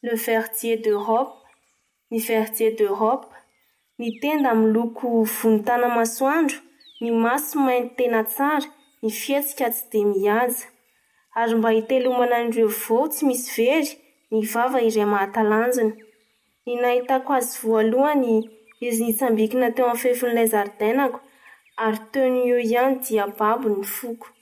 Le verdier d'Europe, ny verdier d'Europe, ny tenda miloko volontana-masoandro, ny maso mainty tena tsara, ny fihetsika tsy dia mihaja. Ary mba hitelomana an'ireo voa tsy misy very, ny vava iray mahatalanjona. Ny nahitako azy voalohany, izy nitsambikina teo amin'ny fefin'ilay zaridainako, ary teo no eo ihany dia babo ny foko.